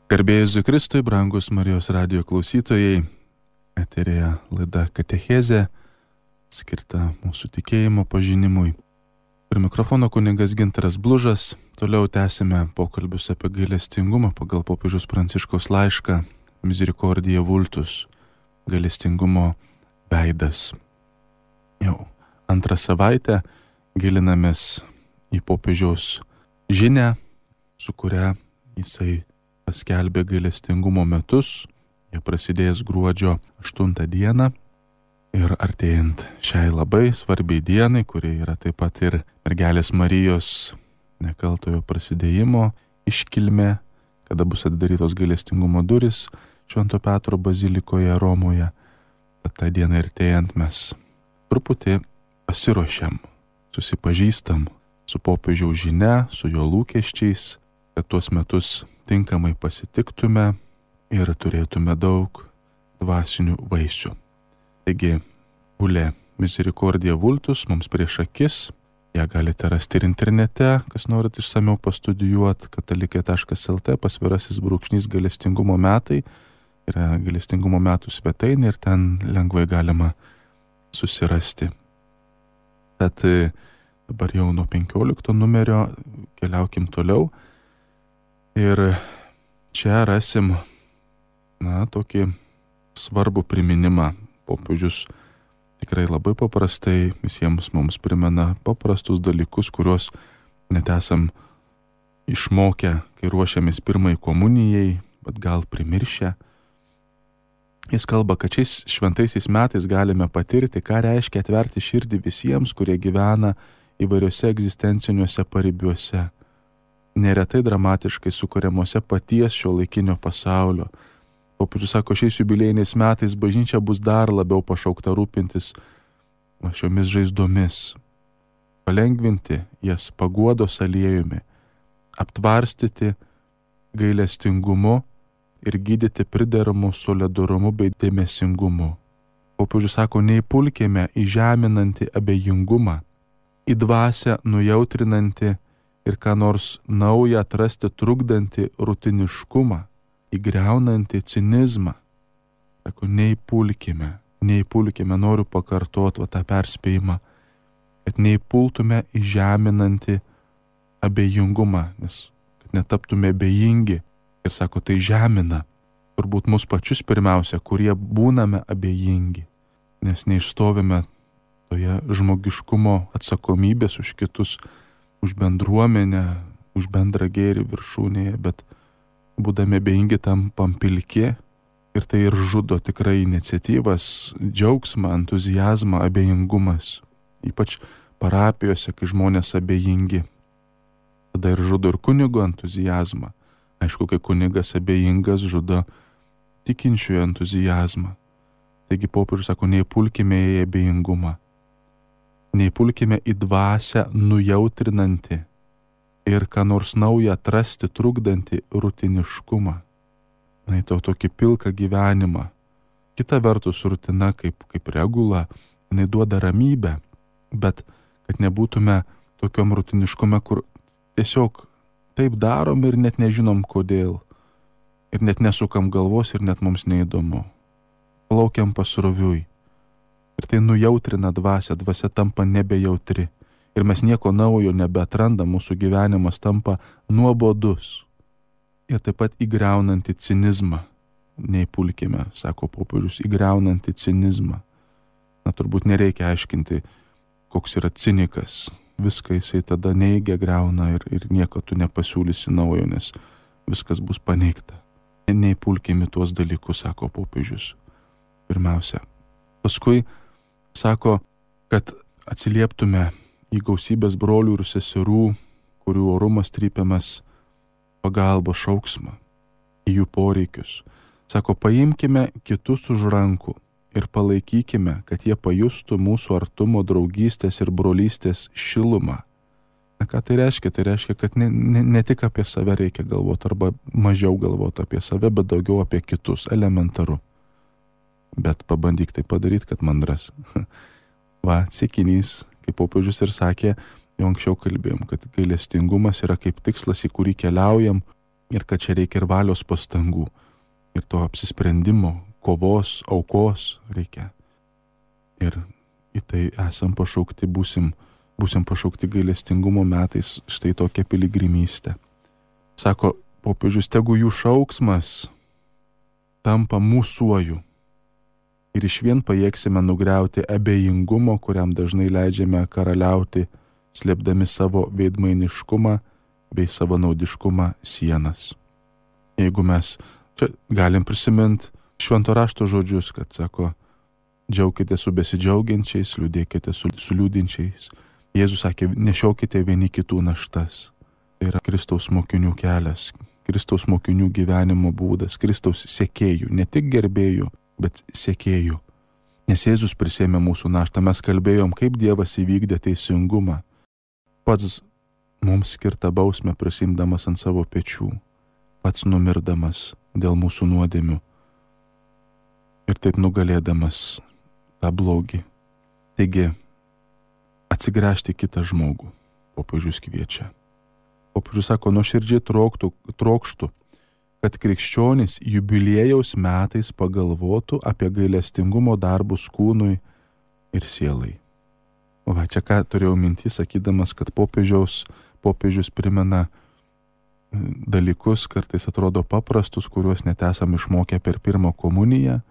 Garbė Jėzui Kristui, brangus Marijos radijo klausytojai, eterėje laida Katechezė, skirta mūsų tikėjimo pažinimui. Prie mikrofono kunigas Gintaras Blužas. Toliau tęsime pokalbius apie gailestingumą pagal popiežiaus Pranciškaus laišką Misericordia Vultus, gailestingumo veidas. Jau antrą savaitę gilinamės į popiežiaus žinią, su kuria jisai paskelbė gailestingumo metus. Jie prasidės gruodžio 8 dieną ir artėjant šiai labai svarbiai dienai, kuri yra taip pat ir mergelės Marijos nekaltojo prasidėjimo iškilmė, kada bus atidarytos gailestingumo durys Švento Petro bazilikoje Romoje. Tad tą dieną artėjant mes truputį pasiruošiam, susipažįstam su popiežiaus žinia, su jo lūkesčiais, kad tuos metus tinkamai pasitiktume ir turėtume daug dvasinių vaisių. Taigi, gulė Misericordia Vultus mums prieš akis. Ją galite rasti ir internete, kas norit išsamiau pastudijuoti, katalikė.lt / gailestingumo metai. Yra gailestingumo metų svetainė ir ten lengvai galima susirasti. Tad dabar jau nuo 15 numerio keliaukim toliau. Ir čia rasim tokį svarbų priminimą. Popiežius tikrai labai paprastai visiems mums primena paprastus dalykus, kuriuos net esam išmokę, kai ruošiamės pirmai komunijai, bet gal primiršę. Jis kalba, kad šiais šventaisiais metais galime patirti, ką reiškia atverti širdį visiems, kurie gyvena įvairiuose egzistenciniuose paribiuose, neretai dramatiškai sukuriamuose paties šiuolaikinio pasaulio. Popiežius sako, šiais jubiliejiniais metais bažnyčia bus dar labiau pašaukta rūpintis šiomis žaizdomis, palengvinti jas paguodos aliejumi, aptvarstyti gailestingumu ir gydyti prideramu solidarumu bei dėmesingumu. Popiežius sako, neįpulkime į žeminantį abejingumą, į dvasią nujautrinantį ir ką nors naują atrasti trukdantį rutiniškumą, įgriaunantį cinizmą. Sako, neįpulkime, noriu pakartoti tą perspėjimą, kad neįpultume į žeminantį abejingumą, nes kad netaptume abejingi. Ir sako, tai žemina turbūt mus pačius pirmiausia, kurie būname abejingi, nes neišstovime toje žmogiškumo atsakomybės už kitus, už bendruomenę, už bendrą gėrį viršūnėje, bet būdami abejingi tampam pilki ir tai ir žudo tikrai iniciatyvas, džiaugsmą, entuziazmą, abejingumas. Ypač parapijose, kai žmonės abejingi. Tada ir žudo ir kunigo entuziazmą. Aišku, kai kunigas abejingas, žudo tikinčiųjų entuziazmą. Taigi popiežius sako, neįpulkime į abejingumą. Neįpulkime į dvasią nujautrinantį ir ką nors naują atrasti trukdantį rutiniškumą. Na, į tokį pilką gyvenimą. Kita vertus, rutina kaip regula, jinai duoda ramybę, bet kad nebūtume tokiom rutiniškume, kur tiesiog taip darom ir net nežinom kodėl. Ir net nesukam galvos ir net mums neįdomu. Plaukiam pasroviui. Ir tai nujautrina dvasią, dvasia tampa nebejautri. Ir mes nieko naujo nebeatrandam, mūsų gyvenimas tampa nuobodus. Ir taip pat įgriaunantį cinizmą. Neįpulkime, sako popiežius, įgriaunantį cinizmą. Na, turbūt nereikia aiškinti, koks yra cinikas. Viską jisai tada neigia, griauna ir nieko tu nepasiūlysi naujo, nes viskas bus paneigta. Neįpulkime tuos dalykus, sako popiežius. Pirmiausia. Paskui sako, kad atsilieptume į gausybės brolių ir seserų, kurių orumas trypiamas pagalbos šauksmą, į jų poreikius. Sako, paimkime kitus už rankų ir palaikykime, kad jie pajustų mūsų artumo, draugystės ir brolystės šilumą. Na, ką tai reiškia? Tai reiškia, kad ne tik apie save reikia galvoti, arba mažiau galvoti apie save, bet daugiau apie kitus, elementaru. Bet pabandyk tai padaryti, kad mandras. Va, siekinys, kaip popiežius ir sakė, jau anksčiau kalbėjom, kad gailestingumas yra kaip tikslas, į kurį keliaujam, ir kad čia reikia ir valios pastangų, ir to apsisprendimo, kovos, aukos reikia. Ir į tai esam pašaukti, būsim pašaukti gailestingumo metais štai tokią piligrimystę. Sako popiežius, tegu jų šauksmas tampa mūsuoju ir išvien pajėgsime nugriauti abejingumo, kuriam dažnai leidžiame karaliauti, slėpdami savo veidmainiškumą bei savanaudiškumą sienas. Jeigu mes čia galim prisiminti švento rašto žodžius, kad sako, džiaukite su besidžiaugiančiais, liūdėkite su liūdinčiais. Jėzus sakė, nešiokite vieni kitų naštas. Tai yra Kristaus mokinių kelias, Kristaus mokinių gyvenimo būdas, Kristaus sekėjų, ne tik gerbėjų, bet sekėjų. Nes Jėzus prisėmė mūsų naštą, mes kalbėjom, kaip Dievas įvykdė teisingumą. Pats mums skirtą bausmę prisimdamas ant savo pečių, pats numirdamas dėl mūsų nuodėmių ir taip nugalėdamas tą blogį. Taigi, atsigręžti kitą žmogų, popiežius kviečia. Popiežius sako, nuoširdžiai trokštų, kad krikščionys jubiliejaus metais pagalvotų apie gailestingumo darbus kūnui ir sielai. O va, čia ką turėjau mintį, sakydamas, kad popiežius primena dalykus, kartais atrodo paprastus, kuriuos net esam išmokę per pirmą komuniją.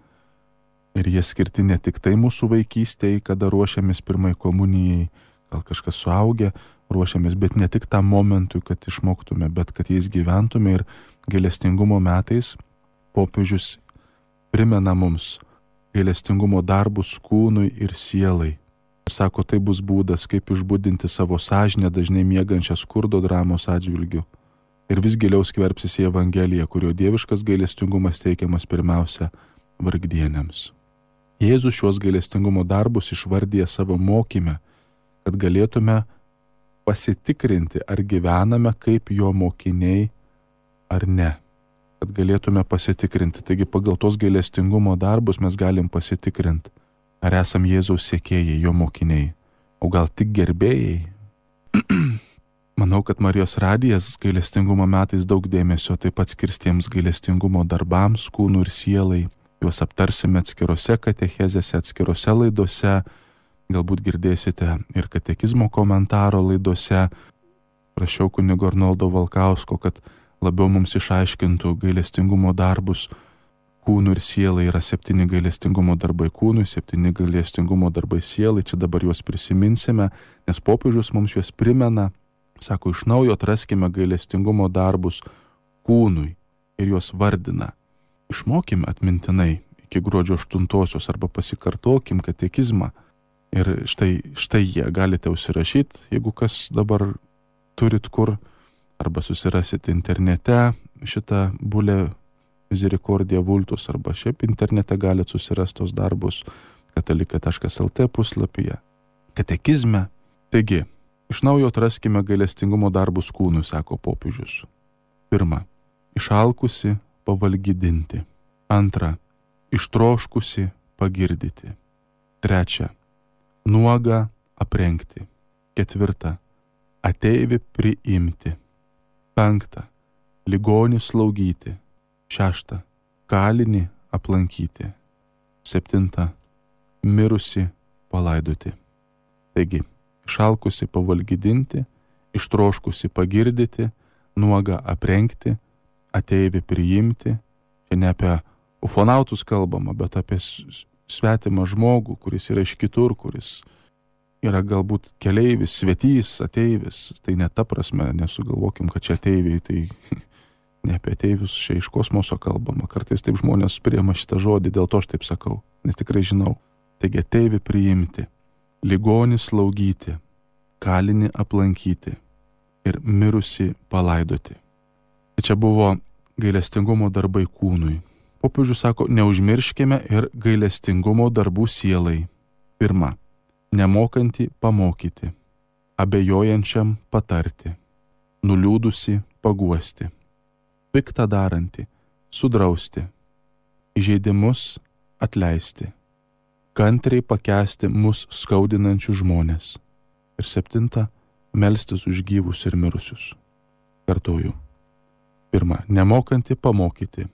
Ir jie skirti ne tik tai mūsų vaikystėje, kada ruošiamės pirmai komunijai, gal kažkas suaugę ruošiamės, bet ne tik tam momentui, kad išmoktume, bet kad jais gyventume. Ir gailestingumo metais popiežius primena mums gailestingumo darbus kūnui ir sielai. Ir sako, tai bus būdas, kaip išbudinti savo sąžinę dažnai miegančią skurdo dramos atžvilgiu. Ir vis giliau skverbsis į Evangeliją, kurio dieviškas gailestingumas teikiamas pirmiausia vargdieniams. Jėzus šios gailestingumo darbus išvardyja savo mokyme, kad galėtume pasitikrinti, ar gyvename kaip jo mokiniai ar ne. Kad galėtume pasitikrinti. Taigi pagal tos gailestingumo darbus mes galim pasitikrinti, ar esam Jėzaus sekėjai, jo mokiniai, o gal tik gerbėjai. Manau, kad Marijos radijas gailestingumo metais daug dėmesio taip pat skirs tiems gailestingumo darbams, kūnų ir sielai. Juos aptarsime atskirose katechezėse, atskirose laidose. Galbūt girdėsite ir katekizmo komentaro laidose. Prašiau kunigo Arnoldo Valkausko, kad labiau mums išaiškintų gailestingumo darbus kūnų ir sielai. Yra 7 gailestingumo darbai kūnui, 7 gailestingumo darbai sielai. Čia dabar juos prisiminsime, nes popiežius mums juos primena. Sako, iš naujo atraskime gailestingumo darbus kūnui ir juos vardina. Išmokime atmintinai iki gruodžio 8 arba pasikartokim katekizmą. Ir štai jie galite užsirašyti, jeigu kas dabar turit kur, arba susirasit internete šitą bulę Misericordia Vultus, arba šiaip internete galite susirasti tos darbus katalika.lt puslapyje, katekizme. Taigi, iš naujo atraskime gailestingumo darbus kūnui, sako popiežius. 1. Išalkusi pavalgydinti. 2. Ištroškusi pagirdyti. 3. Nuogą aprengti. 4. Ateivį priimti. 5. Ligonį slaugyti. 6. Kalinį aplankyti. 7. Mirusi palaidoti. Taigi, išalkusi pavalgydinti, ištroškusi pagirdyti, nuogą aprengti, ateivį priimti. Čia ne apie ufonautus kalbama, bet apie svetimą žmogų, kuris yra iš kitur, kuris yra galbūt keleivis, svetys, ateivis. Tai ne ta prasme, nesugalvokim, kad čia ateiviai, tai ne apie ateivius, čia iš kosmoso kalbama. Kartais taip žmonės priima šitą žodį, dėl to aš taip sakau, nes tikrai žinau. Taigi ateivį priimti, ligonį slaugyti, kalinį aplankyti ir mirusi palaidoti. Tai čia buvo gailestingumo darbai kūnui. Popiežius sako, neužmirškime ir gailestingumo darbų sielai. 1. Nemokantį pamokyti, abejojančiam patarti, nuliūdusi paguosti, piktą darantį sudrausti, įžeidimus atleisti, kantriai pakęsti mus skaudinančius žmones. Ir 7. Melstis už gyvus ir mirusius. Kartoju. 1. Nemokanti pamokyti.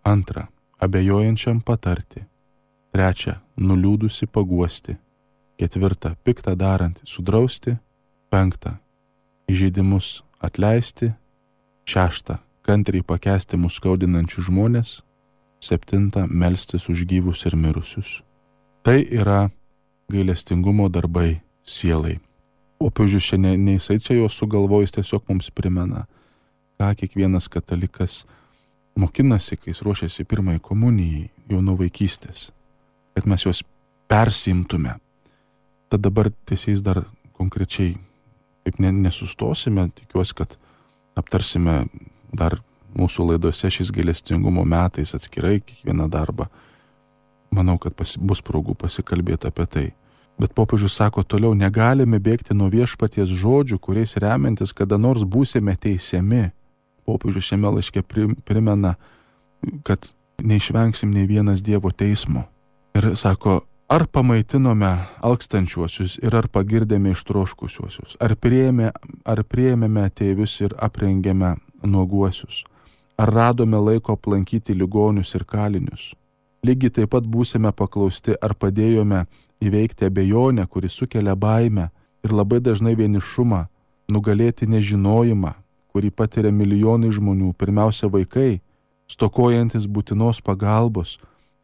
2. Abejojančiam patarti. 3. Nuliūdusi paguosti. 4. Piktą darantį sudrausti. 5. Įžeidimus atleisti. 6. Kantriai pakęsti mus skaudinančius žmonės. 7. Melstis už gyvus ir mirusius. Tai yra gailestingumo darbai sielai. Popiežius čia ne jisai čia juos sugalvojus, tiesiog mums primena, ką kiekvienas katalikas mokinasi, kai jis ruošiasi pirmai komunijai jau nuo vaikystės, kad mes juos persimtume. Tad dabar tiesiais dar konkrečiai taip nesustosime, tikiuosi, kad aptarsime dar mūsų laidose šiais gailestingumo metais atskirai kiekvieną darbą. Manau, kad bus progų pasikalbėti apie tai. Bet popiežius sako toliau, negalime bėgti nuo viešpaties žodžių, kuriais remiantis kada nors būsime teisiami. Popiežius šiame laiške primena, kad neišvengsim nei vienas Dievo teismo. Ir sako, ar pamaitinome alkstančiuosius ir ar pagirdėme ištroškusiuosius, ar priėmėme ateivius ir aprengėme nuoguosius, ar radome laiko aplankyti ligonius ir kalinius. Lygiai taip pat būsime paklausti, ar padėjome įveikti abejonę, kuri sukelia baimę ir labai dažnai vienišumą, nugalėti nežinojimą, kurį patiria milijonai žmonių, pirmiausia vaikai, stokojantis būtinos pagalbos,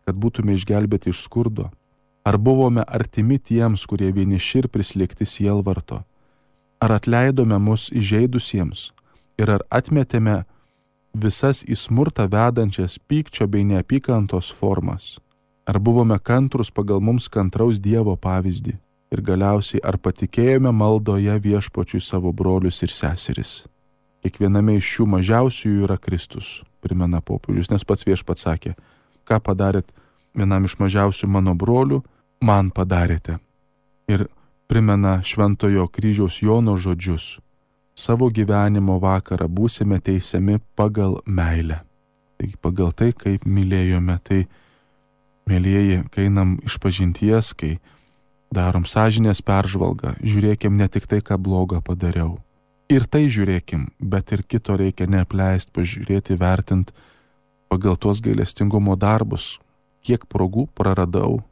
kad būtume išgelbėti iš skurdo. Ar buvome artimi tiems, kurie vieniši ir prislėgti sielvarto? Ar atleidome mus įžeidusiems ir ar atmetėme visas į smurtą vedančias pykčio bei neapykantos formas? Ar buvome kantrus pagal mums kantraus Dievo pavyzdį? Ir galiausiai, ar patikėjome maldoje viešpačiui savo brolius ir seseris? Kiekviename iš šių mažiausiųjų yra Kristus, primena popiežius, nes pats viešpats sakė, ką padarėt vienam iš mažiausių mano brolių, man padarėte. Ir primena Šventojo kryžiaus Jono žodžius, savo gyvenimo vakarą būsime teisiami pagal meilę. Taigi pagal tai, kaip mylėjome, tai mėlyjeji, kai einam išpažinties, kai darom sąžinės peržvalgą, žiūrėkim ne tik tai, ką blogą padariau. Ir tai žiūrėkim, bet ir kito reikia neapleisti, pažiūrėti, vertinti pagal tuos gailestingumo darbus, kiek progų praradau,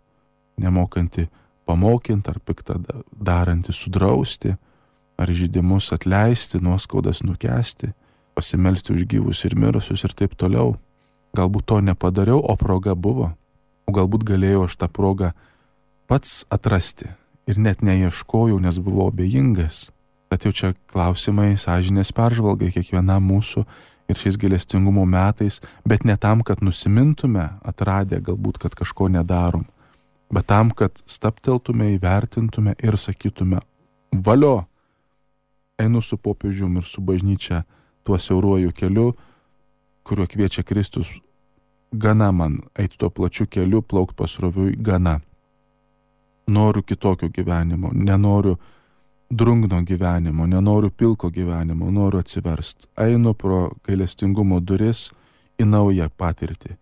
nemokanti pamokinti ar piktą darantį sudrausti, ar žydimus atleisti, nuoskaudas nukęsti, pasimelsti už gyvus ir mirusius ir taip toliau. Galbūt to nepadariau, o proga buvo. O galbūt galėjau aš tą progą pats atrasti ir net neieškojau, nes buvau abejingas. Tad jau čia klausimai sąžinės peržvalgai kiekvienam mūsų ir šiais gailestingumo metais, bet ne tam, kad nusimintume, atradę galbūt, kad kažko nedarom, bet tam, kad stabteltume, įvertintume ir sakytume, valio, einu su popiežium ir su bažnyčia tuo siauruoju keliu, kuriuo kviečia Kristus. Gana man eiti tuo plačiu keliu, plaukti pasroviui, gana. Noriu kitokio gyvenimo, nenoriu drungno gyvenimo, nenoriu pilko gyvenimo, noriu atsiversti. Einu pro gailestingumo duris į naują patirtį,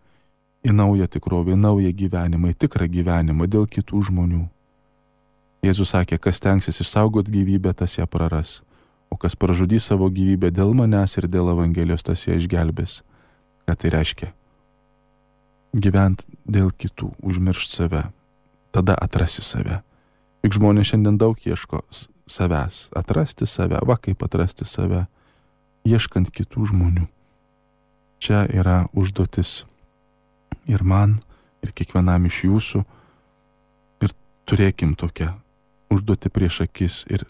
į naują tikrovę, į naują gyvenimą, į tikrą gyvenimą dėl kitų žmonių. Jėzus sakė, kas tenksis išsaugoti gyvybę, tas ją praras, o kas pražudys savo gyvybę dėl manęs ir dėl Evangelijos, tas ją išgelbės. Ką tai reiškia? Gyvent dėl kitų, užmiršt save, tada atrasi save. Juk žmonės šiandien daug ieško savęs, atrasti save, va kaip atrasti save, ieškant kitų žmonių. Čia yra užduotis ir man, ir kiekvienam iš jūsų, ir turėkim tokią užduotį prieš akis ir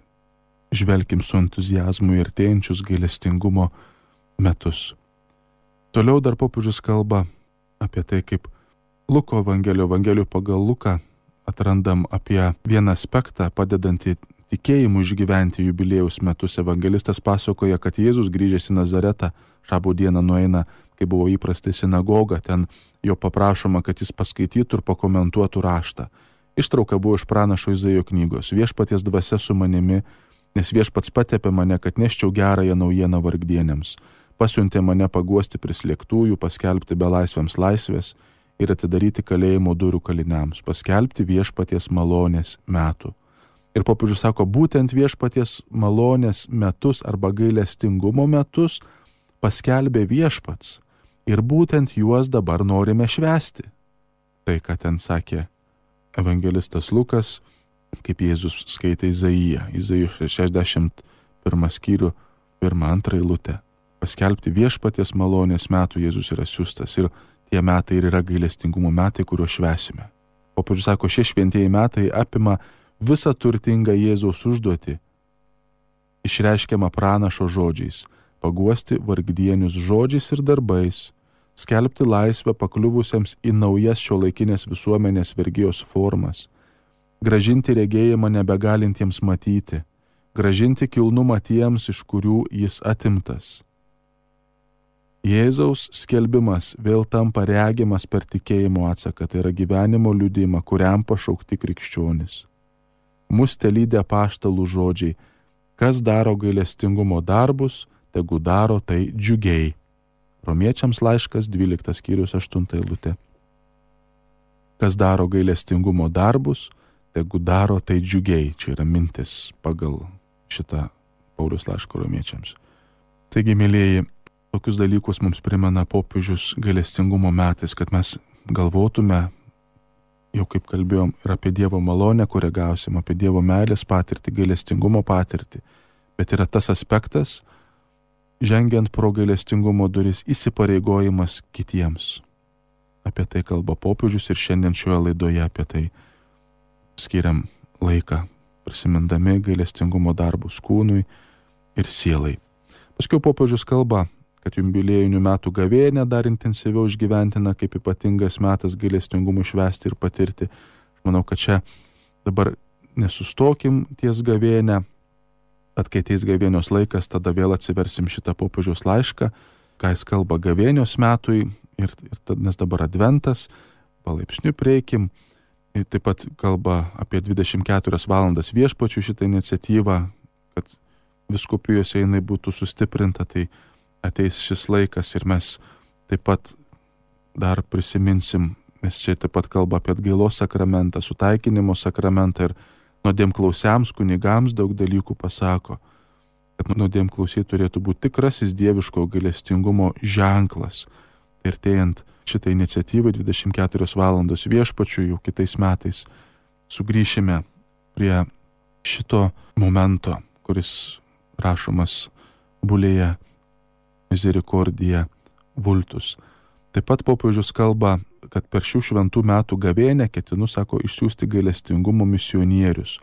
žvelkim su entuziazmu ir artėjančius gailestingumo metus. Toliau dar popiežius kalba apie tai, kaip Luko Evangelijų pagal Luką atrandam apie vieną aspektą, padedantį tikėjimu išgyventi jubiliejaus metus. Evangelistas pasakoja, kad Jėzus grįžęs į Nazaretą šabo dieną nueina, kai buvo įprasta į sinagogą, ten jo paprašoma, kad jis paskaitytų ir pakomentuotų raštą. Ištrauka buvo iš pranašo Izaijo knygos. Viešpaties dvasia su manimi, nes viešpats patepė mane, kad neščiau gerąją naujieną vargdienėms. Pasiuntė mane paguosti prislėgtųjų, paskelbti belaisviams laisvės ir atidaryti kalėjimo durų kaliniams, paskelbti viešpaties malonės metų. Ir popiežius sako, būtent viešpaties malonės metus arba gailestingumo metus paskelbė Viešpats ir būtent juos dabar norime švęsti. Tai, ką ten sakė evangelistas Lukas, kaip Jėzus skaitė Izaijo 61 skyrių, 1-2 eilutę. Paskelbti Viešpaties malonės metų Jėzus yra siųstas ir tie metai ir yra gailestingumo metai, kuriuos švęsime. Popiežius sako, šie šventieji metai apima visą turtingą Jėzaus užduotį, išreiškiamą pranašo žodžiais, paguosti vargdienius žodžiais ir darbais, skelbti laisvę pakliuvusiems į naujas šiuolaikinės visuomenės vergijos formas, gražinti regėjimą nebegalintiems matyti, gražinti kilnumą tiems, iš kurių jis atimtas. Jėzaus skelbimas vėl tampa regimas per tikėjimo atsaką, tai yra gyvenimo liudijimą, kuriam pašaukti krikščionys. Mus telydė apaštalų žodžiai, kas daro gailestingumo darbus, tegu daro tai džiugiai. Romiečiams laiškas 12 skyrius 8 eilutė. Kas daro gailestingumo darbus, tegu daro tai džiugiai. Čia yra mintis pagal šitą Pauliaus laišką romiečiams. Taigi, mėlieji, tokius dalykus mums primena popiežius gailestingumo metais, kad mes galvotume, jau kaip kalbėjom, ir apie Dievo malonę, kurią gausim, apie Dievo meilės patirtį, gailestingumo patirtį. Bet yra tas aspektas, žengiant pro gailestingumo duris, įsipareigojimas kitiems. Apie tai kalba popiežius ir šiandien šioje laidoje apie tai skiriam laiką, prisimindami gailestingumo darbus kūnui ir sielai. Paskiau popiežius kalba, kad jubiliejinių metų gavėnią dar intensyviau išgyventina kaip ypatingas metas gailestingumui švęsti ir patirti. Aš manau, kad čia dabar nesustokim ties gavėnę, kad kai ateis gavėnios laikas, tada vėl atsiversim šitą popiežiaus laišką, ką jis kalba gavėnios metui, nes dabar adventas, palaipsniui prieikim. Ir taip pat kalba apie 24 valandas viešpačių šitą iniciatyvą, kad vyskupijose jinai būtų sustiprinta, tai ateis šis laikas ir mes taip pat dar prisiminsim, nes čia taip pat kalba apie atgailos sakramentą, sutaikinimo sakramentą ir nuodėmklausiams kunigams daug dalykų pasako, kad nuodėmklausiai turėtų būti tikrasis dieviško gailestingumo ženklas. Ir artėjant šitą iniciatyvą 24 valandos viešpačių jau kitais metais sugrįšime prie šito momento, kuris rašomas bulėje Misericordija Vultus. Taip pat popiežius kalba, kad per šių šventų metų gavėnę ketinu, sako, išsiųsti gailestingumo misionierius.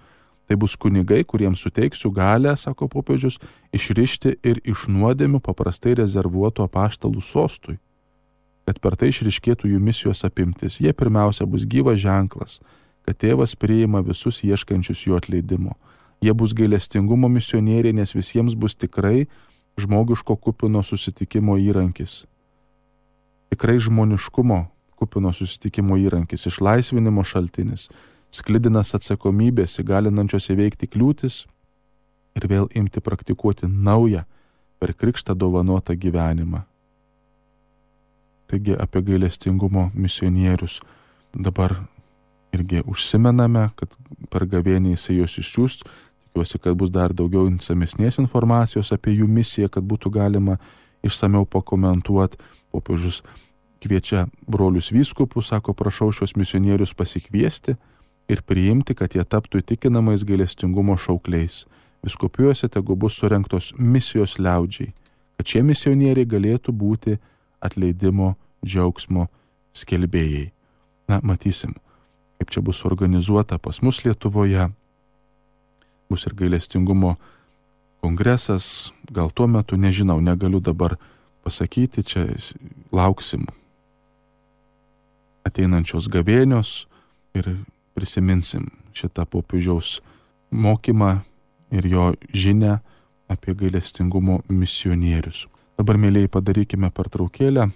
Tai bus kunigai, kuriems suteiksiu galę, sako popiežius, išrišti ir iš nuodėmių paprastai rezervuotų apaštalų sostui, kad per tai išriškėtų jų misijos apimtis. Jie pirmiausia bus gyvas ženklas, kad tėvas priima visus ieškančius jo atleidimo. Jie bus gailestingumo misionieriai, nes visiems bus tikrai žmogiško kupino susitikimo įrankis. Tikrai žmoniškumo kupino susitikimo įrankis, išlaisvinimo šaltinis, sklidinas atsakomybės, įgalinančios įveikti kliūtis ir vėl imti praktikuoti naują per krikštą dovanotą gyvenimą. Taigi apie gailestingumo misionierius dabar irgi užsimename, kad per gavėnį jisai juos išsiųs. Tikiuosi, kad bus dar daugiau išsamesnės informacijos apie jų misiją, kad būtų galima išsamiau pakomentuoti. Popiežius kviečia brolius vyskupus, sako, prašau šios misionierius pasikviesti ir priimti, kad jie taptų įtikinamais gailestingumo šaukliais. Vyskupijose tegu bus surengtos misijos liaudžiai, kad šie misionieriai galėtų būti atleidimo džiaugsmo skelbėjai. Na, matysim, kaip čia bus organizuota pas mus Lietuvoje. Bus ir gailestingumo kongresas, gal tuo metu, nežinau, negaliu dabar pasakyti, čia lauksim ateinančios gavėnios ir prisiminsim šitą popiežiaus mokymą ir jo žinią apie gailestingumo misionierius. Dabar, mėlyjei, padarykime pertraukėlę.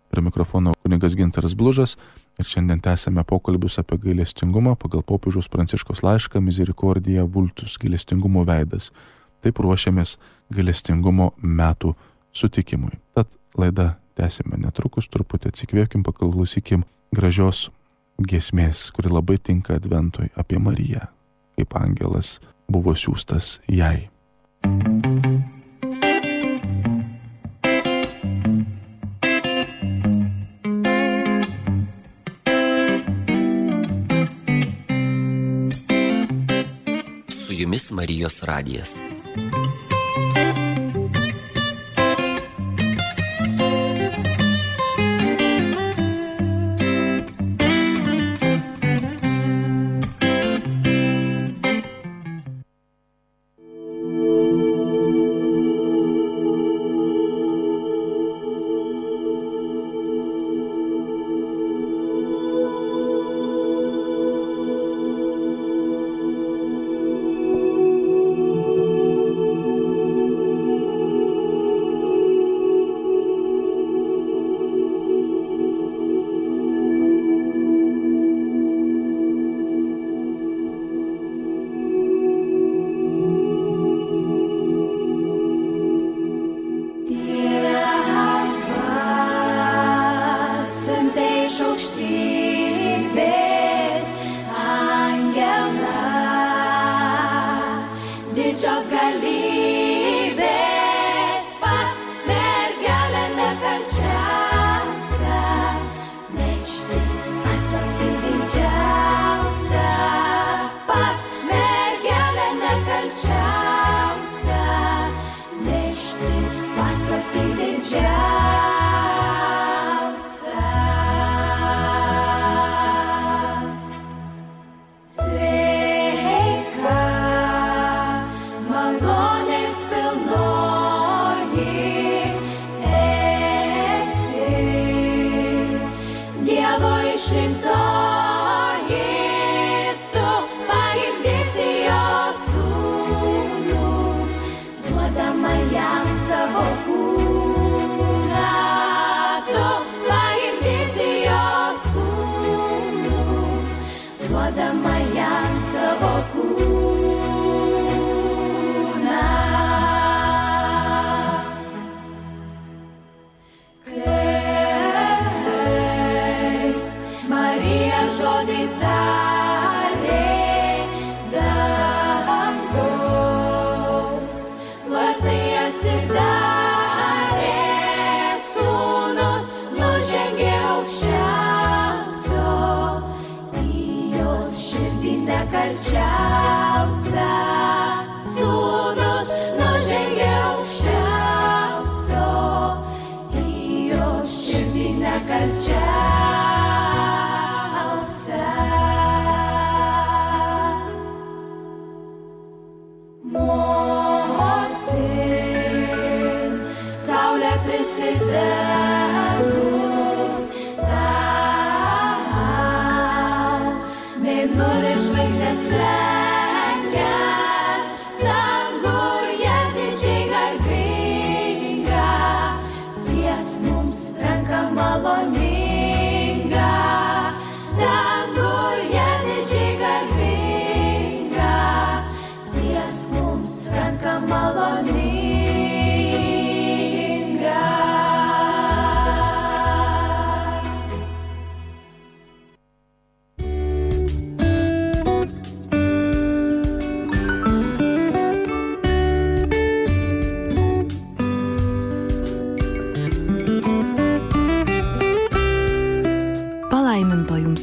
Prie mikrofono kunigas Gintaras Blužas ir šiandien tęsime pokalbius apie gailestingumą pagal popiežiaus Pranciškaus laišką Misericordija Vultus, gailestingumo veidas. Taip ruošiamės gailestingumo metų sutikimui. Tad laidą tęsime netrukus, truputį atsikvėkim, paklausykim gražios giesmės, kuri labai tinka adventui, apie Mariją, kaip angelas buvo siųstas jai. jumis Marijos radijas.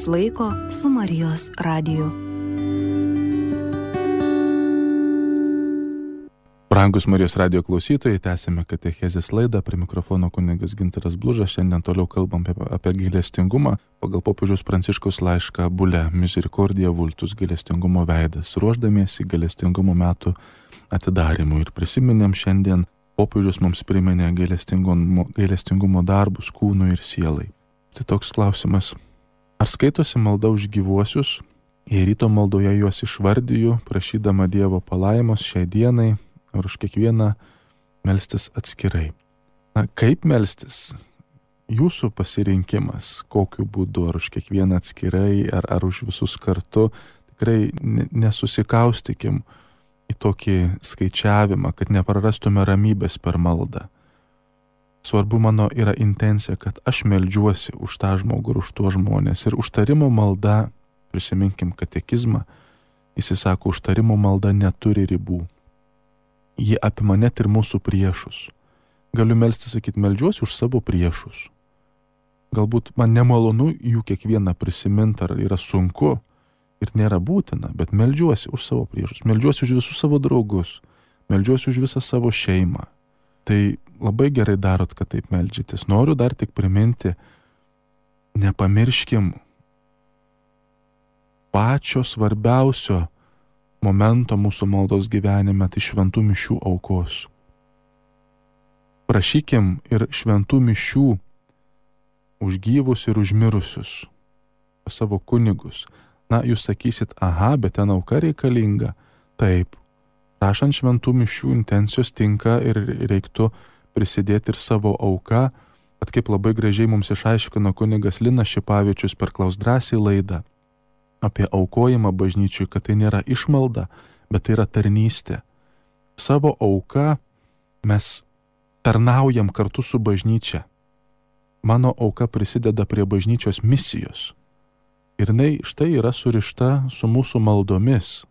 Laiko su Marijos radiju. Brangus Marijos radijo klausytojai, tęsime katechezės laidą, prie mikrofono kunigas Gintaras Blužas. Šiandien toliau kalbam apie gailestingumą pagal popiežiaus Pranciškaus laišką Bulle Misericordia Vultus, gailestingumo veidas, ruošdamiesi gailestingumo metų atidarimui. Ir prisiminėm šiandien, popiežius mums priminė gailestingumo darbus kūnui ir sielai. Tai toks klausimas. Ar skaitosi malda už gyvuosius? Jei ryto maldoje juos išvardiju, prašydama Dievo palaimos šiai dienai, ar už kiekvieną melstis atskirai. Na, kaip melstis? Jūsų pasirinkimas, kokiu būdu, ar už kiekvieną atskirai, ar už visus kartu. Tikrai nesusikaustykim į tokį skaičiavimą, kad neprarastume ramybės per maldą. Svarbu mano yra intencija, kad aš meldžiuosi už tą žmogų ir už tuos žmonės. Ir užtarimo malda, prisiminkim katekizmą, jis sako, užtarimo malda neturi ribų. Ji apima net ir mūsų priešus. Galiu melstis, sakyti, meldžiuosi už savo priešus. Galbūt man nemalonu jų kiekvieną prisiminti, ar yra sunku ir nėra būtina, bet meldžiuosi už savo priešus, meldžiuosi už visus savo draugus, meldžiuosi už visą savo šeimą. Tai labai gerai darot, kad taip meldžiatės. Noriu dar tik priminti, nepamirškim pačio svarbiausio momento mūsų maldos gyvenime, tai šventų mišių aukos. Prašykim ir šventų mišių už gyvus ir už mirusius, savo kunigus. Na, jūs sakysit, aha, bet ten auka reikalinga. Taip, prašant šventų mišių intencijos tinka ir reiktų prisidėti ir savo auką, bet kaip labai gražiai mums išaiškino kunigas Linas Šipavičius per Klaus drąsiai laidą apie aukojimą bažnyčiui, kad tai nėra išmalda, bet tai yra tarnystė. Savo auką mes tarnaujam kartu su bažnyčia. Mano auka prisideda prie bažnyčios misijos. Ir jinai štai yra surišta su mūsų maldomis.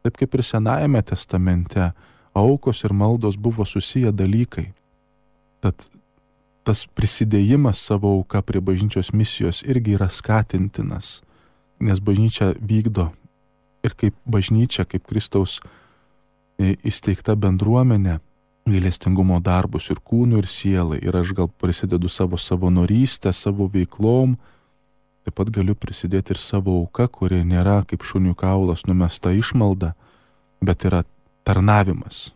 Taip kaip ir Senajame testamente, aukos ir maldos buvo susiję dalykai. Tad tas prisidėjimas savo auka prie bažnyčios misijos irgi yra skatintinas, nes bažnyčia vykdo ir kaip bažnyčia, kaip Kristaus įsteigta bendruomenė, gailestingumo darbus ir kūnų, ir sielai. Ir aš gal prisidedu savo savanorystę, savo veiklom, taip pat galiu prisidėti ir savo auka, kuri nėra kaip šunių kaulas numesta išmalda, bet yra tarnavimas.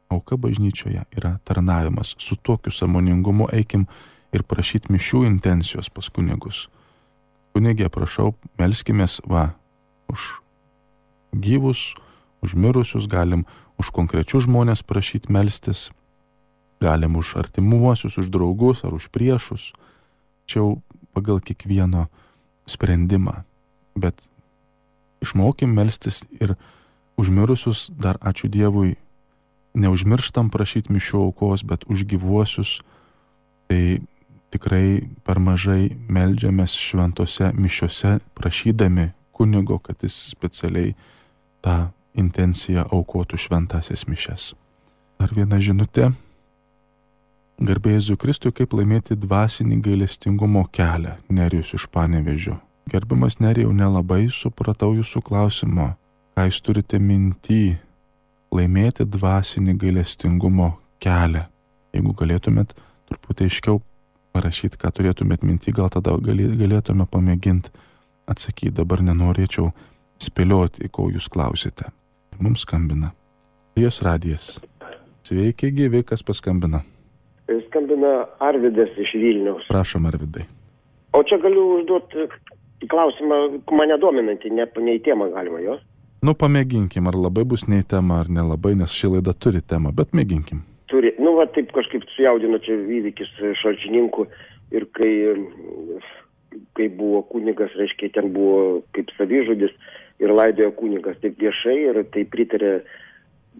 Auka bažnyčioje yra tarnavimas. Su tokiu sąmoningumu eikim ir prašyti mišių intencijos pas kunigus. Kunigė, prašau, melskimės už gyvus, už mirusius, galim už konkrečius žmonės prašyti melstis, galim už artimuosius, už draugus ar už priešus. Čia jau pagal kiekvieno sprendimą, bet išmokim melstis ir už mirusius, dar ačiū Dievui, neužmirštam prašyti mišių aukos, bet už gyvuosius, tai tikrai per mažai meldžiamės šventose mišiose, prašydami kunigo, kad jis specialiai tą intenciją aukotų šventasias mišias. Dar viena žinutė. Garbė Jėzui Kristui, kaip laimėti dvasinį gailestingumo kelią, Nerijus iš Panevėžio. Gerbiamas Nerijau, nelabai supratau jūsų klausimo. Ką jūs turite minty laimėti dvasinį gailestingumo kelią? Jeigu galėtumėt truputį aiškiau parašyti, ką turėtumėt minty, gal tada galėtume pamėginti atsakyti. Dabar nenorėčiau spėlioti, ko jūs klausite. Mums skambina Marijos radijas. Sveiki, gyvi, kas paskambina? Skambina Arvydas iš Vilniaus. Prašom, Arvydai. O čia galiu užduoti klausimą, mane dominantį, ne į temą galima jos? Nu, pamėginkim, ar labai bus ne į temą, ar nelabai, nes ši laida turi temą, bet mėginkim. Turi, taip kažkaip sujaudino čia įvykis Šalčininkų ir kai buvo kunigas, reiškia, ten buvo kaip savižudis ir laidojo kunigas taip viešai ir tai pritarė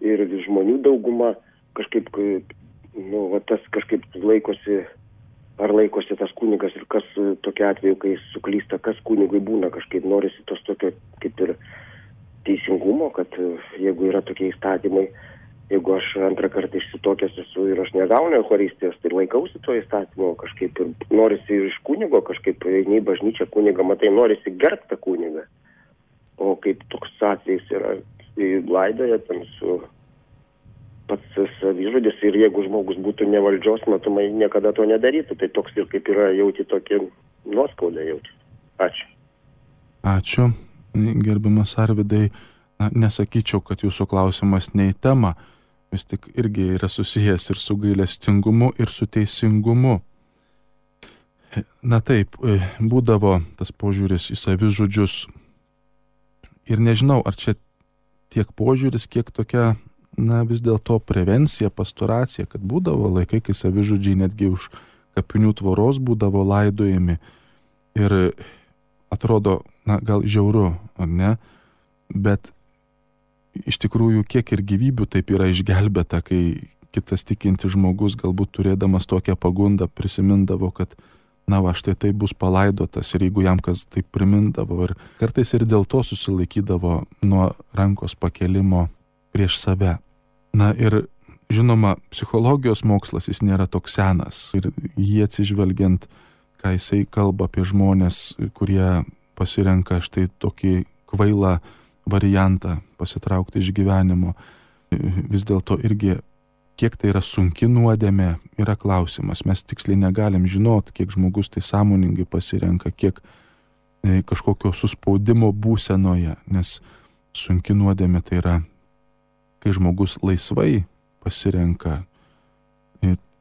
ir žmonių dauguma, kažkaip tas kažkaip laikosi tas kunigas ir kas tokia atveju, kai suklysta, kas kunigui būna, kažkaip norisi tos tokio kaip ir teisingumo, kad jeigu yra tokie įstatymai, jeigu aš antrą kartą išsitokęs esu ir aš negaunu eucharistijos, tai laikausi to įstatymo kažkaip ir norisi iš kunigo kažkaip eini į bažnyčią kunigą, matai, norisi gerbti tą kunigą. O kaip toks atvejis yra laidoje ten su pats savižudis ir jeigu žmogus būtų ne valdžios, matomai niekada to nedarytų, tai toks ir kaip yra jauti tokį nuoskaudą jauti. Ačiū. Ačiū, gerbiamas Arvydai. Nesakyčiau, kad jūsų klausimas ne į temą, vis tik irgi yra susijęs ir su gailestingumu, ir su teisingumu. Na taip, būdavo tas požiūris į savižudžius ir nežinau, ar čia tiek požiūris, kiek tokia, vis dėlto prevencija, pastoracija, kad būdavo laikai, kai savižudžiai netgi už kapinių tvoros būdavo laidojami ir atrodo, gal žiauru, ar ne, bet iš tikrųjų, kiek ir gyvybių taip yra išgelbėta, kai kitas tikintis žmogus, galbūt turėdamas tokią pagundą, prisimindavo, kad štai tai bus palaidotas ir jeigu jam kas taip primindavo ir kartais ir dėl to susilaikydavo nuo rankos pakelimo prieš save. Ir žinoma, psichologijos mokslas jis nėra toks senas ir jį atsižvelgiant, ką jisai kalba apie žmonės, kurie pasirenka štai tokį kvailą variantą pasitraukti iš gyvenimo. Vis dėlto irgi, kiek tai yra sunki nuodėmė, yra klausimas. Mes tiksliai negalim žinot, kiek žmogus tai sąmoningai pasirenka, kiek kažkokio suspaudimo būsenoje, nes sunki nuodėmė tai yra, kai žmogus laisvai pasirenka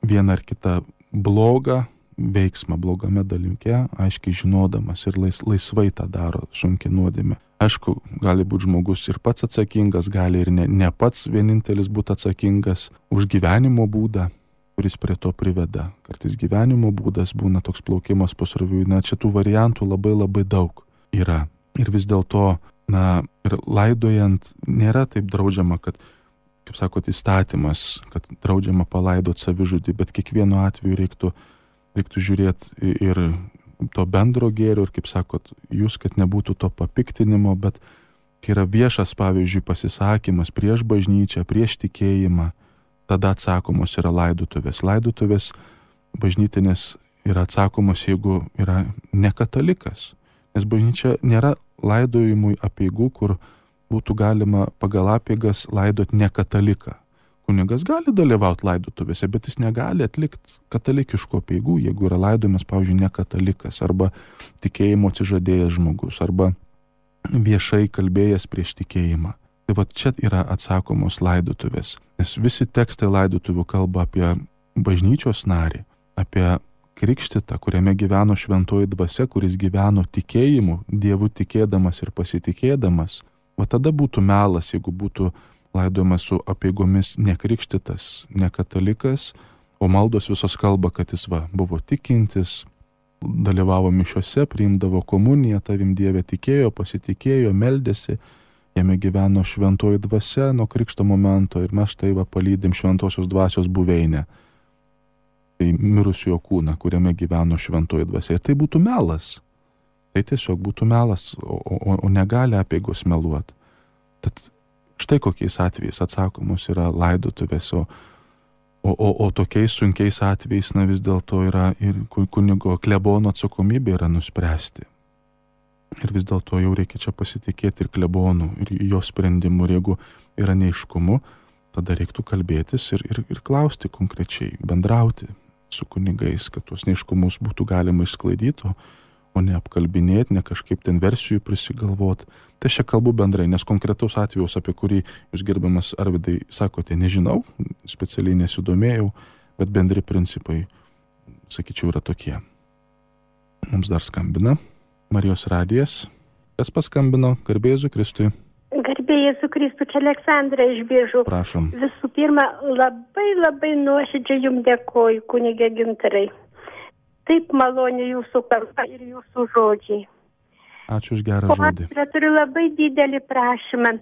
vieną ar kitą blogą veiksmą blogame dalyke, aiškiai žinodamas ir laisvai tą daro, sunki nuodėmė. Aišku, gali būti žmogus ir pats atsakingas, gali ir ne pats vienintelis būti atsakingas už gyvenimo būdą, kuris prie to priveda. Kartais gyvenimo būdas būna toks plaukimas pasroviui, čia tų variantų labai daug yra. Ir vis dėlto, ir laidojant nėra taip draudžiama, kad, kaip sakot, įstatymas, kad draudžiama palaidoti savižudį, bet kiekvienu atveju reiktų žiūrėti ir to bendro gėrio ir, kaip sakot, jūs, kad nebūtų to papiktinimo, bet kai yra viešas, pavyzdžiui, pasisakymas prieš bažnyčią, prieš tikėjimą, tada atsakomos yra laidotuvės. Laidotuvės bažnytinės yra atsakomos, jeigu yra nekatalikas. Nes bažnyčia nėra laidojimui apeigų, kur būtų galima pagal apeigas laidot nekataliką. Kunigas gali dalyvauti laidotuvėse, bet jis negali atlikti katalikiškų apeigų, jeigu yra laidojamas, pavyzdžiui, nekatalikas, arba tikėjimo atsižadėjęs žmogus, arba viešai kalbėjęs prieš tikėjimą. Tai va čia yra atsakomos laidotuvės. Nes visi tekstai laidotuvių kalba apie bažnyčios narį, apie krikštytą, kuriame gyveno šventoji dvasia, kuris gyveno tikėjimu, Dievu tikėdamas ir pasitikėdamas. Va tada būtų melas, jeigu būtų laidojamas su apeigomis nekrikštytas, nekatalikas, o maldos visos kalba, kad jis buvo tikintis, dalyvavo mišiose, priimdavo komuniją, tavim Dieve tikėjo, pasitikėjo, meldėsi, jame gyveno šventoji dvasia nuo krikšto momento ir mes štai palydim šventosios dvasios buveinę. Tai mirusiojo kūną, kuriame gyveno šventoji dvasia. Ir tai būtų melas. Tai tiesiog būtų melas, o negali apeigos meluoti. Tad štai kokiais atvejais atsakomos yra laidotuvės, o tokiais sunkiais atvejais vis dėlto yra ir kunigo klebono atsakomybė yra nuspręsti. Ir vis dėlto jau reikia čia pasitikėti ir klebonu, ir jo sprendimu. Ir jeigu yra neaiškumu, tada reiktų kalbėtis ir klausti konkrečiai, bendrauti su kunigais, kad tuos neaiškumus būtų galima išsklaidyti, o ne apkalbinėti, ne kažkaip ten versijų prisigalvoti. Tai čia kalbu bendrai, nes konkretaus atvejaus, apie kurį jūs, gerbiamas Arvydai, sakote, nežinau, specialiai nesidomėjau, bet bendri principai, sakyčiau, yra tokie. Mums dar skambina Marijos radijas. Kas paskambino? Garbė Jėzui Kristui. Garbė Jėzui Kristui, čia Aleksandra iš Biržų. Prašom. Visų pirma, labai nuoširdžiai jums dėkoju, kunigė Gintarai. Taip maloniai jūsų kalba ir jūsų žodžiai. Ačiū už gerą žodį. Aš turiu labai didelį prašymą.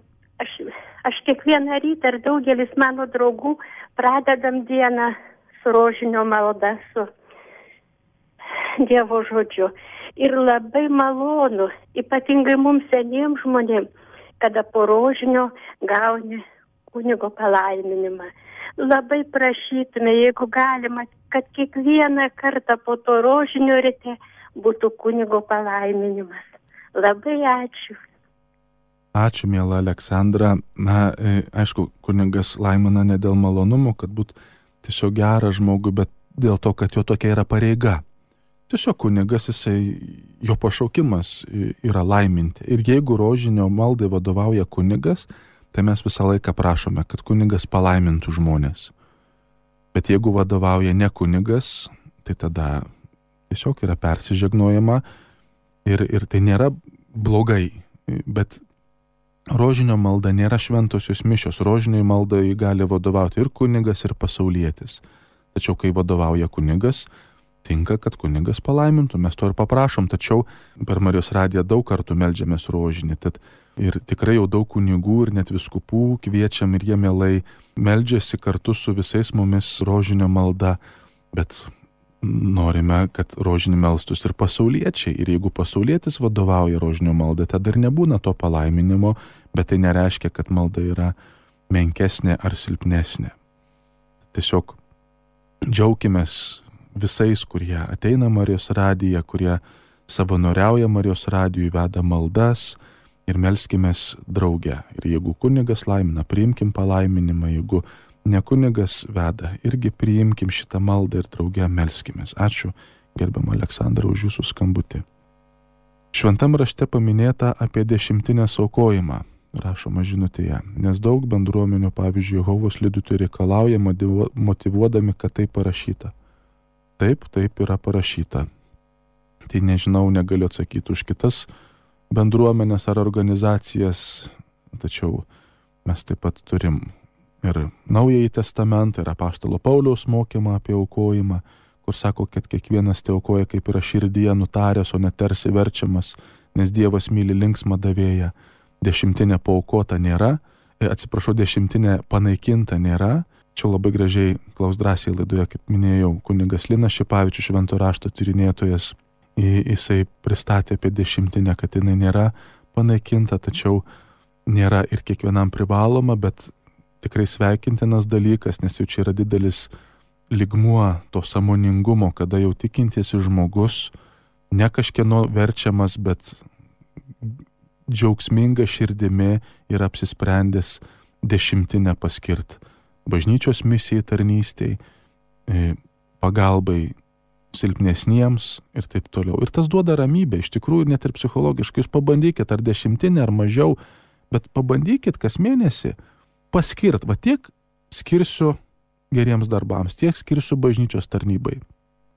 Aš kiekvieną rytą ir daugelis mano draugų pradedam dieną su rožinio malda, su Dievo žodžiu. Ir labai malonu, ypatingai mums seniems žmonėms, kada po rožinio gauni kunigo palaiminimą. Labai prašytume, jeigu galima, kad kiekvieną kartą po to rožinio ryte būtų kunigo palaiminimas. Labai ačiū. Ačiū, miela Aleksandra. Aišku, kunigas laimina ne dėl malonumo, kad būtų tiesiog geras žmogui, bet dėl to, kad jo tokia yra pareiga. Tiesiog kunigas, jo pašaukimas yra laiminti. Ir jeigu rožinio maldai vadovauja kunigas, tai mes visą laiką prašome, kad kunigas palaimintų žmonės. Bet jeigu vadovauja ne kunigas, tai tada tiesiog yra persižegnojama ir tai nėra blogai. Bet rožinio malda nėra šventosios mišios. Rožinio maldai gali vadovauti ir kunigas, ir pasaulietis. Tačiau kai vadovauja kunigas, tinka, kad kunigas palaimintų. Mes to ir paprašom, tačiau per Marijos radiją daug kartų meldžiamės rožinį. Tad ir tikrai jau daug kunigų ir net vyskupų kviečiam ir jie mielai meldžiasi kartu su visais mumis rožinio malda. Bet norime, kad rožinį melstus ir pasauliečiai. Ir jeigu pasaulietis vadovauja rožinio maldai, tada ir nebūna to palaiminimo, bet tai nereiškia, kad malda yra menkesnė ar silpnesnė. Tiesiog džiaukimės visais, kurie ateina Marijos radiją, kurie savanoriauja Marijos radijui, veda maldas ir melskimės drauge. Ir jeigu kunigas laimina, priimkim palaiminimą, jeigu ne kunigas veda, irgi priimkim šitą maldą ir drauge melskimės. Ačiū, gerbiama Aleksandra, už jūsų skambutį. Šventam rašte paminėta apie 10 aukojimą, rašoma žinutėje, nes daug bendruomenių, pavyzdžiui, Jehovos liudytojai reikalauja motyvuodami, kad tai parašyta. Taip yra parašyta. Tai nežinau, negaliu atsakyti už kitas bendruomenės ar organizacijas, tačiau mes taip pat turim ir Naująjį testamentą, ir apaštalo Pauliaus mokymą apie aukojimą, kur sako, kad kiekvienas tai aukoja kaip yra širdyje nutaręs, o ne tarsi verčiamas, nes Dievas myli linksmą davėją. 10 paaukota nėra, 10 panaikinta nėra. Čia labai gražiai Klaus drąsiai laidoje, kaip minėjau, kunigas Linas Šipavičius, švento rašto tyrinėtojas, jisai pristatė apie 10, kad jinai nėra panaikinta, tačiau nėra ir kiekvienam privaloma, bet tikrai sveikintinas dalykas, nes jau čia yra didelis lygmuo to sąmoningumo, kada jau tikintysis žmogus, ne kažkieno verčiamas, bet džiaugsminga širdimi yra apsisprendęs 10 paskirt. Bažnyčios misijai, tarnystei, pagalbai silpnesniems ir taip toliau. Ir tas duoda ramybę, iš tikrųjų, net ir psichologiškai. Jūs pabandykit, ar 10 ar mažiau, bet pabandykit kas mėnesį paskirt, va tiek skirsiu geriems darbams, tiek skirsiu bažnyčios tarnybai.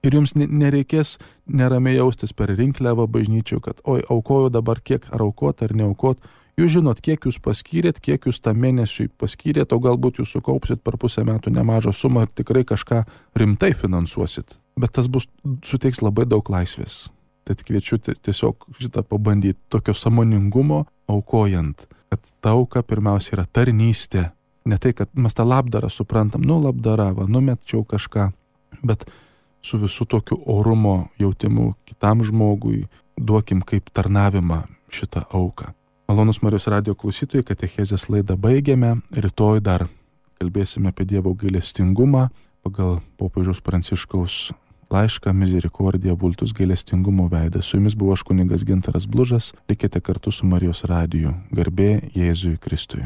Ir jums nereikės neramiai jaustis per rinkliavą bažnyčių, kad oi, aukoju dabar kiek, ar aukot, ar neaukot. Jūs žinot, kiek jūs paskyrėt, kiek jūs tą mėnesiui paskyrėt, o galbūt jūs sukaupsit per pusę metų nemažą sumą ir tikrai kažką rimtai finansuosit. Bet tas suteiks labai daug laisvės. Tad kviečiu tiesiog šitą pabandyti, tokio sąmoningumo aukojant, kad ta auka pirmiausia yra tarnystė. Ne tai, kad mes tą labdarą suprantam, labdara, numetčiau kažką, bet su visų tokiu orumo jautimu kitam žmogui duokim kaip tarnavimą šitą auką. Malonus Marijos radijo klausytojai, katechezės laidą baigėme. Rytoj dar kalbėsime apie Dievo gailestingumą pagal popiežiaus Pranciškaus laišką Misericordija Vultus, gailestingumo veidas. Su jumis buvo aš kunigas Gintaras Blužas. Likite kartu su Marijos radiju. Garbė Jėzui Kristui.